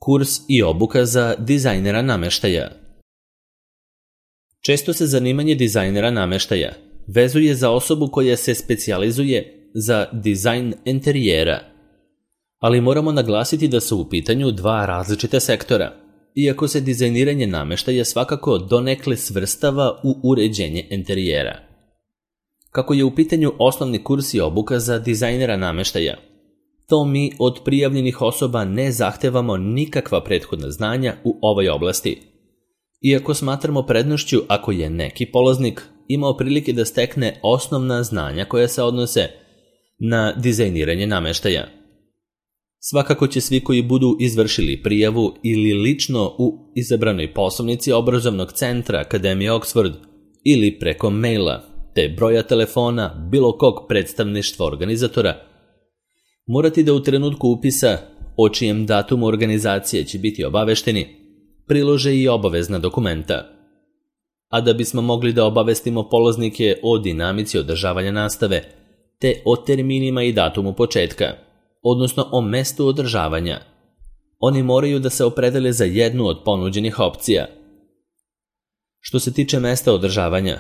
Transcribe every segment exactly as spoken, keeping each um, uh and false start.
Kurs i obuka za dizajnera namještaja. Često se zanimanje dizajnera namještaja vezuje za osobu koja se specijalizuje za dizajn interijera, ali moramo naglasiti da su u pitanju dva različita sektora, iako se dizajniranje namještaja svakako donekle svrstava u uređenje interijera. Kako je u pitanju osnovni kurs i obuka za dizajnera namještaja, to mi od prijavljenih osoba ne zahtevamo nikakva prethodna znanja u ovoj oblasti, iako smatramo prednošću ako je neki polaznik imao prilike da stekne osnovna znanja koja se odnose na dizajniranje namještaja. Svakako će svi koji budu izvršili prijavu ili lično u izabranoj poslovnici obrazovnog centra Akademije Oxford ili preko maila te broja telefona bilo kog predstavništva organizatora, morati da u trenutku upisa o čijem datumu organizacije će biti obavešteni, prilože i obavezna dokumenta. A da bismo mogli da obavestimo polaznike o dinamici održavanja nastave, te o terminima i datumu početka, odnosno o mestu održavanja, oni moraju da se opredele za jednu od ponuđenih opcija. Što se tiče mesta održavanja,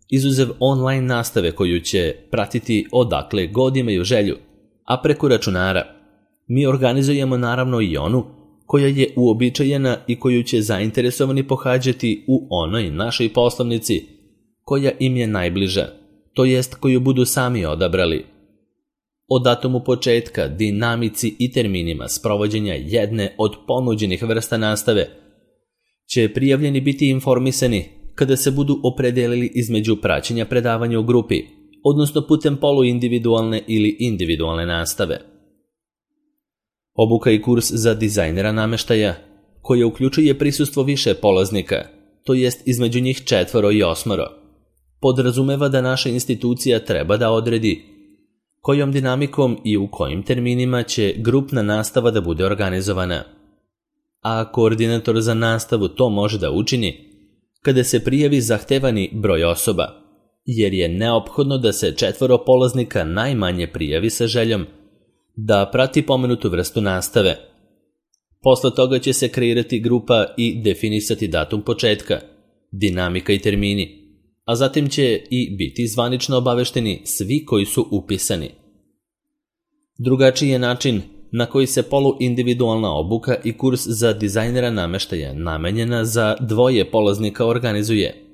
izuzev online nastave koju će pratiti odakle god imaju želju, a preko računara, mi organizujemo naravno i onu koja je uobičajena i koju će zainteresovani pohađati u onoj našoj poslovnici koja im je najbliža, to jest koju budu sami odabrali. O datumu početka, dinamici i terminima sprovođenja jedne od ponuđenih vrsta nastave će prijavljeni biti informisani kada se budu opredelili između praćenja predavanja u grupi, odnosno putem poluindividualne ili individualne nastave. Obuka i kurs za dizajnera namještaja, koja uključuje prisustvo više polaznika, to jest između njih četvoro i osmoro, podrazumeva da naša institucija treba da odredi kojom dinamikom i u kojim terminima će grupna nastava da bude organizovana. A koordinator za nastavu to može da učini kada se prijavi zahtevani broj osoba, jer je neophodno da se četvoro polaznika najmanje prijavi sa željom da prati pomenutu vrstu nastave. Posle toga će se kreirati grupa i definisati datum početka, dinamika i termini, a zatim će i biti zvanično obavešteni svi koji su upisani. Drugačiji je način na koji se poluindividualna obuka i kurs za dizajnera namještaja namenjena za dvoje polaznika organizuje,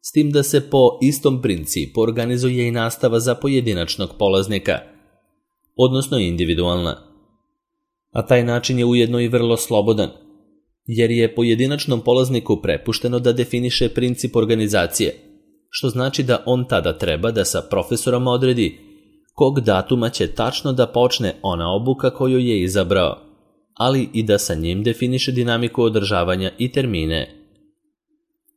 s tim da se po istom principu organizuje i nastava za pojedinačnog polaznika, odnosno individualna. A taj način je ujedno i vrlo slobodan, jer je pojedinačnom polazniku prepušteno da definiše princip organizacije, što znači da on tada treba da sa profesorom odredi kog datuma će tačno da počne ona obuka koju je izabrao, ali i da sa njim definiše dinamiku održavanja i termine.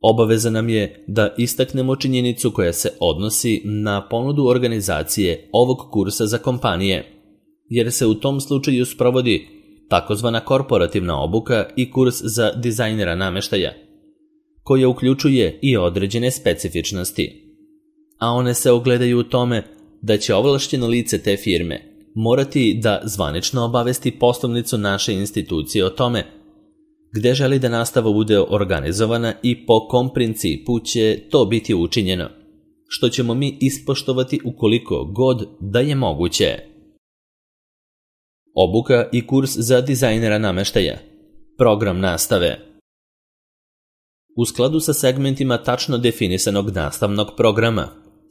Obaveza nam je da istaknemo činjenicu koja se odnosi na ponudu organizacije ovog kursa za kompanije, jer se u tom slučaju sprovodi takozvana korporativna obuka i kurs za dizajnera namještaja, koja uključuje i određene specifičnosti, a one se ogledaju u tome da će ovlašćeno lice te firme morati da zvanično obavesti poslovnicu naše institucije o tome gde želi da nastava bude organizovana i po kom principu će to biti učinjeno, što ćemo mi ispoštovati ukoliko god da je moguće. Obuka i kurs za dizajnera namještaja. Program nastave. U skladu sa segmentima tačno definisanog nastavnog programa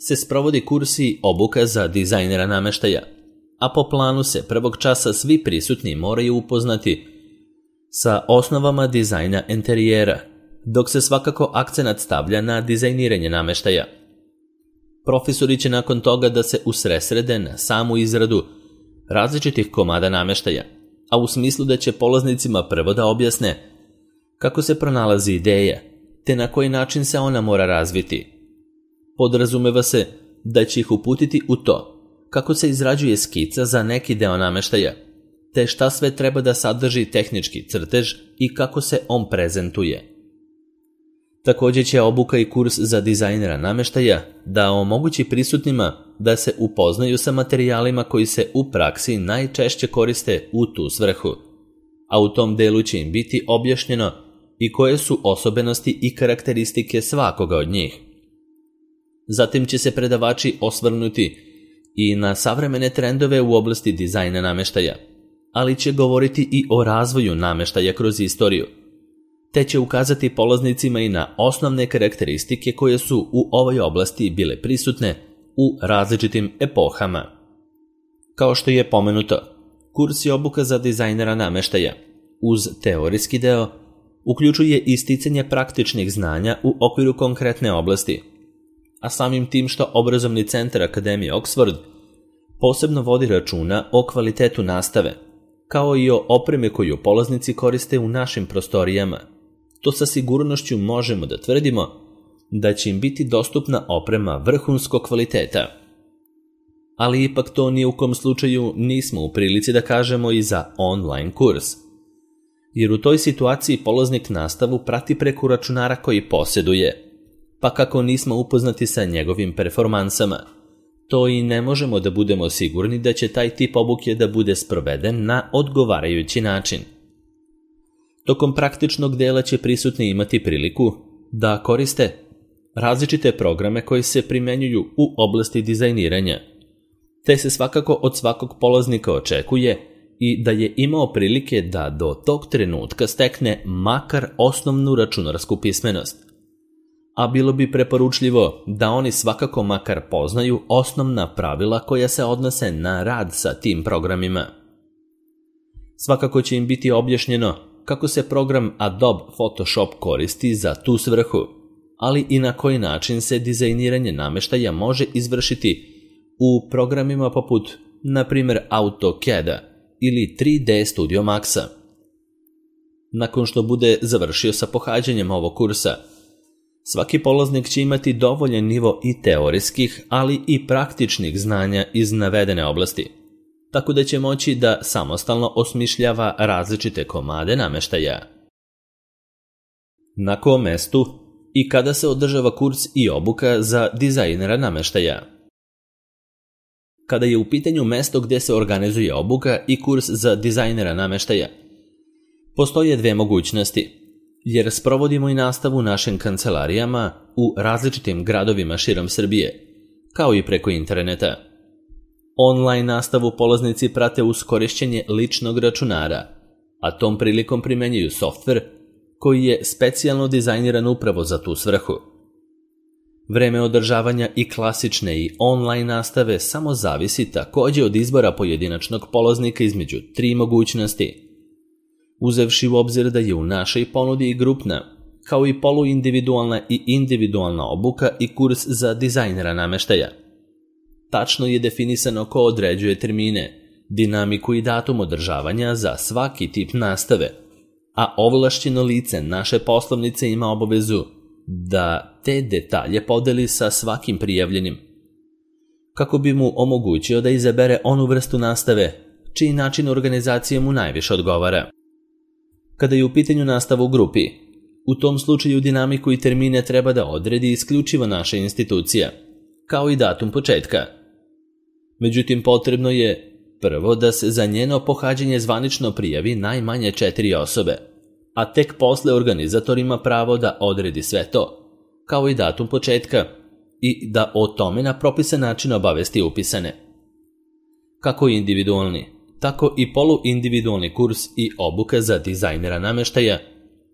se sprovodi kurs i obuka za dizajnera namještaja, a po planu se prvog časa svi prisutni moraju upoznati sa osnovama dizajna interijera, dok se svakako akcenat stavlja na dizajniranje namještaja. Profesori će nakon toga da se usresrede na samu izradu različitih komada namještaja, a u smislu da će polaznicima prvo da objasne kako se pronalazi ideja, te na koji način se ona mora razviti. Podrazumeva se da će ih uputiti u to kako se izrađuje skica za neki deo namještaja, te šta sve treba da sadrži tehnički crtež i kako se on prezentuje. Također će obuka i kurs za dizajnera namještaja da omogući prisutnima da se upoznaju sa materijalima koji se u praksi najčešće koriste u tu svrhu, a u tom delu će im biti objašnjeno i koje su osobenosti i karakteristike svakoga od njih. Zatim će se predavači osvrnuti i na savremene trendove u oblasti dizajna namještaja, ali će govoriti i o razvoju namještaja kroz istoriju, te će ukazati polaznicima i na osnovne karakteristike koje su u ovoj oblasti bile prisutne u različitim epohama. Kao što je pomenuto, kurs je obuka za dizajnera namještaja. Uz teorijski deo uključuje isticanje praktičnih znanja u okviru konkretne oblasti, a samim tim što obrazovni centar Akademije Oxford posebno vodi računa o kvalitetu nastave, kao i o opreme koju polaznici koriste u našim prostorijama. To sa sigurnošću možemo da tvrdimo da će im biti dostupna oprema vrhunskog kvaliteta. Ali ipak to ni u kom slučaju nismo u prilici da kažemo i za online kurs, jer u toj situaciji polaznik nastavu prati preko računara koji posjeduje, pa kako nismo upoznati sa njegovim performansama, to i ne možemo da budemo sigurni da će taj tip obuke da bude sproveden na odgovarajući način. Tokom praktičnog dela će prisutni imati priliku da koriste različite programe koji se primenjuju u oblasti dizajniranja, te se svakako od svakog polaznika očekuje i da je imao prilike da do tog trenutka stekne makar osnovnu računarsku pismenost. A bilo bi preporučljivo da oni svakako makar poznaju osnovna pravila koja se odnose na rad sa tim programima. Svakako će im biti objašnjeno kako se program Adobe Photoshop koristi za tu svrhu, ali i na koji način se dizajniranje namještaja može izvršiti u programima poput, na primjer, AutoCAD-a ili tri D Studio Maxa. Nakon što bude završio sa pohađanjem ovog kursa, svaki polaznik će imati dovoljan nivo i teorijskih, ali i praktičnih znanja iz navedene oblasti, tako da će moći da samostalno osmišljava različite komade namještaja. Na kom mestu i kada se održava kurs i obuka za dizajnera namještaja? Kada je u pitanju mesto gdje se organizuje obuka i kurs za dizajnera namještaja, postoje dve mogućnosti, jer sprovodimo i nastavu u našim kancelarijama u različitim gradovima širom Srbije, kao i preko interneta. Online nastavu polaznici prate uz korišćenje ličnog računara, a tom prilikom primenjuju softver koji je specijalno dizajniran upravo za tu svrhu. Vreme održavanja i klasične i online nastave samo zavisi također od izbora pojedinačnog polaznika između tri mogućnosti. Uzevši u obzir da je u našoj ponudi i grupna, kao i poluindividualna i individualna obuka i kurs za dizajnera namještaja. Tačno je definisano ko određuje termine, dinamiku i datum održavanja za svaki tip nastave, a ovlašćeno lice naše poslovnice ima obavezu da te detalje podeli sa svakim prijavljenim, kako bi mu omogućio da izabere onu vrstu nastave čiji način organizacije mu najviše odgovara. Kada je u pitanju nastava u grupi, u tom slučaju dinamiku i termine treba da odredi isključivo naša institucija, kao i datum početka. Međutim, potrebno je prvo da se za njeno pohađanje zvanično prijavi najmanje četiri osobe, a tek posle organizator ima pravo da odredi sve to, kao i datum početka, i da o tome na propisan način obavesti upisane. Kako individualni, tako i poluindividualni kurs i obuka za dizajnera namještaja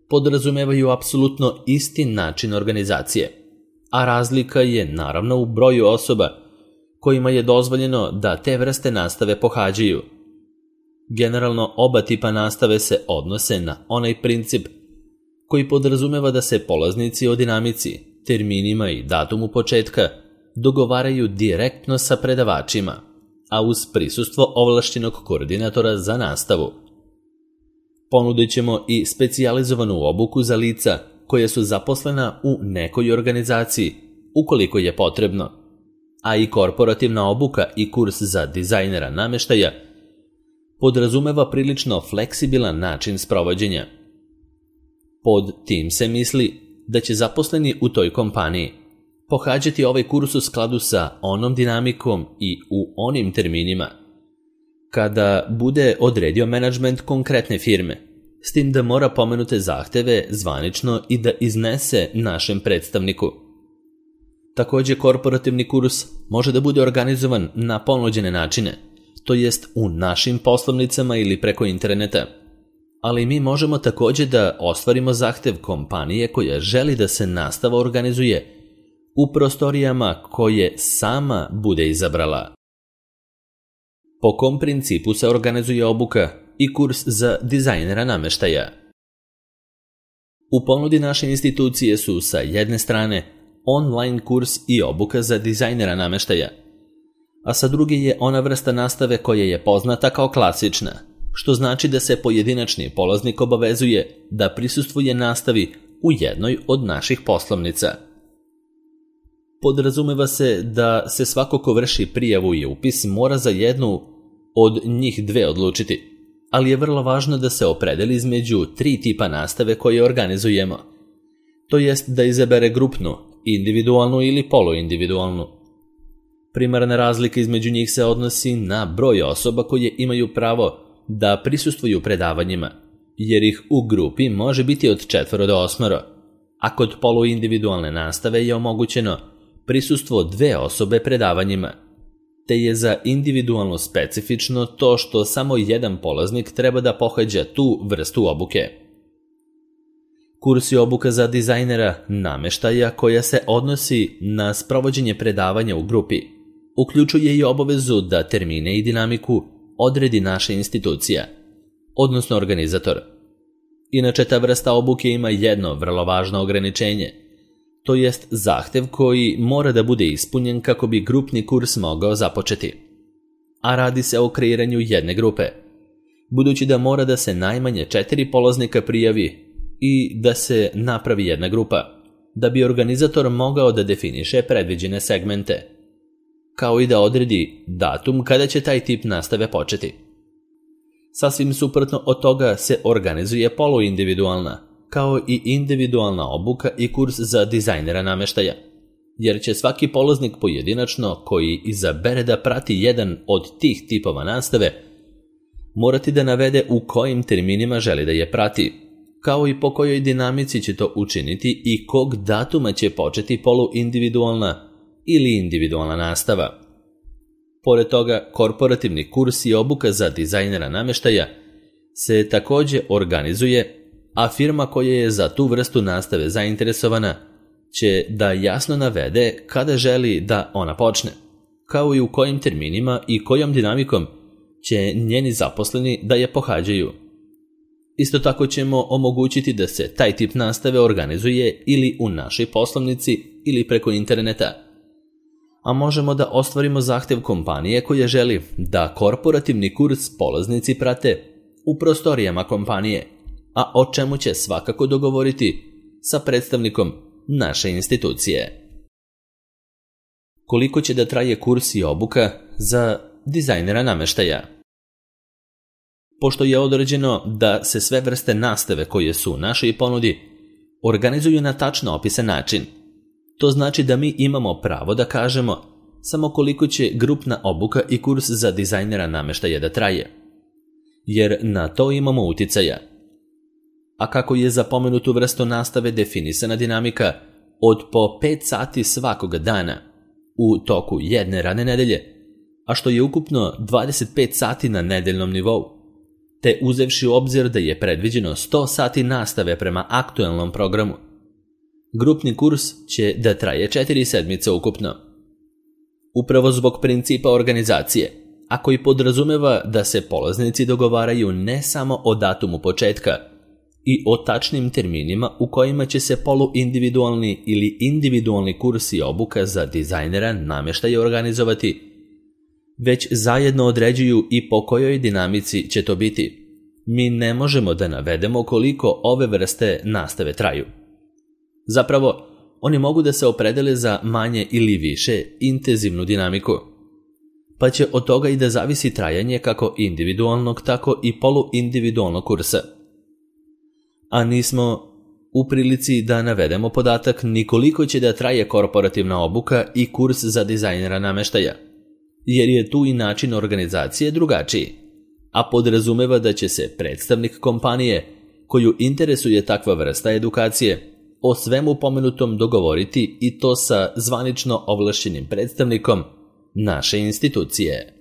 podrazumevaju apsolutno isti način organizacije, a razlika je naravno u broju osoba kojima je dozvoljeno da te vrste nastave pohađaju. Generalno oba tipa nastave se odnose na onaj princip koji podrazumeva da se polaznici o dinamici, terminima i datumu početka dogovaraju direktno sa predavačima, a uz prisustvo ovlašćenog koordinatora za nastavu. Ponudit ćemo i specijalizovanu obuku za lica koja su zaposlena u nekoj organizaciji, ukoliko je potrebno, a i korporativna obuka i kurs za dizajnera namještaja podrazumeva prilično fleksibilan način sprovođenja. Pod tim se misli da će zaposleni u toj kompaniji pohađati ovaj kurs u skladu sa onom dinamikom i u onim terminima kada bude odredio menadžment konkretne firme, s tim da mora pomenute zahteve zvanično i da iznese našem predstavniku. Također, korporativni kurs može da bude organizovan na ponuđene načine, to jest u našim poslovnicama ili preko interneta. Ali mi možemo također da ostvarimo zahtev kompanije koja želi da se nastava organizuje u prostorijama koje sama bude izabrala. Po kom principu se organizuje obuka i kurs za dizajnera namještaja? U ponudi naše institucije su sa jedne strane online kurs i obuka za dizajnera namještaja, a sa druge je ona vrsta nastave koja je poznata kao klasična, što znači da se pojedinačni polaznik obavezuje da prisustvuje nastavi u jednoj od naših poslovnica. Podrazumeva se da se svako ko vrši prijavu i upis mora za jednu od njih dve odlučiti, ali je vrlo važno da se opredeli između tri tipa nastave koje organizujemo, to jest da izabere grupnu, individualnu ili poluindividualnu. Primarna razlika između njih se odnosi na broj osoba koje imaju pravo da prisustvuju predavanjima, jer ih u grupi može biti od četvoro do osmoro, a kod poluindividualne nastave je omogućeno prisustvo dve osobe predavanjima, te je za individualno specifično to što samo jedan polaznik treba da pohađa tu vrstu obuke. Kurs je obuka za dizajnera namještaja koja se odnosi na sprovođenje predavanja u grupi, uključuje i obavezu da termine i dinamiku odredi naša institucija, odnosno organizator. Inače, ta vrsta obuke ima jedno vrlo važno ograničenje, to jest zahtev koji mora da bude ispunjen kako bi grupni kurs mogao započeti. A radi se o kreiranju jedne grupe, budući da mora da se najmanje četiri polaznika prijavi i da se napravi jedna grupa, da bi organizator mogao da definiše predviđene segmente, kao i da odredi datum kada će taj tip nastave početi. Sasvim suprotno od toga se organizuje poluindividualna, kao i individualna obuka i kurs za dizajnera namještaja, jer će svaki polaznik pojedinačno koji izabere da prati jedan od tih tipova nastave morati da navede u kojim terminima želi da je prati, kao i po kojoj dinamici će to učiniti i kog datuma će početi poluindividualna ili individualna nastava. Pored toga, korporativni kurs i obuka za dizajnera namještaja se također organizuje, a firma koja je za tu vrstu nastave zainteresovana će da jasno navede kada želi da ona počne, kao i u kojim terminima i kojom dinamikom će njeni zaposleni da je pohađaju. Isto tako ćemo omogućiti da se taj tip nastave organizuje ili u našoj poslovnici ili preko interneta. A možemo da ostvarimo zahtev kompanije koja želi da korporativni kurs polaznici prate u prostorijama kompanije, a o čemu će svakako dogovoriti sa predstavnikom naše institucije. Koliko će da traje kurs i obuka za dizajnera namještaja? Pošto je određeno da se sve vrste nastave koje su u našoj ponudi organizuju na tačno opisan način, to znači da mi imamo pravo da kažemo samo koliko će grupna obuka i kurs za dizajnera namještaja da traje, jer na to imamo uticaja. A kako je za pomenutu vrstu nastave definisana dinamika od po pet sati svakoga dana u toku jedne radne nedelje, a što je ukupno dvadeset pet sati na nedeljnom nivou, te uzevši u obzir da je predviđeno sto sati nastave prema aktuelnom programu, grupni kurs će da traje četiri sedmice ukupno. Upravo zbog principa organizacije, a koji podrazumeva da se polaznici dogovaraju ne samo o datumu početka i o tačnim terminima u kojima će se poluindividualni ili individualni kurs i obuka za dizajnera namještaja organizovati, već zajedno određuju i po kojoj dinamici će to biti. Mi ne možemo da navedemo koliko ove vrste nastave traju. Zapravo, oni mogu da se opredele za manje ili više intenzivnu dinamiku, pa će od toga i da zavisi trajanje kako individualnog, tako i poluindividualnog kursa. A nismo u prilici da navedemo podatak ni koliko će da traje korporativna obuka i kurs za dizajnera namještaja, jer je tu i način organizacije drugačiji, a podrazumeva da će se predstavnik kompanije koju interesuje takva vrsta edukacije, o svemu pomenutom dogovoriti i to sa zvanično ovlašćenim predstavnikom naše institucije.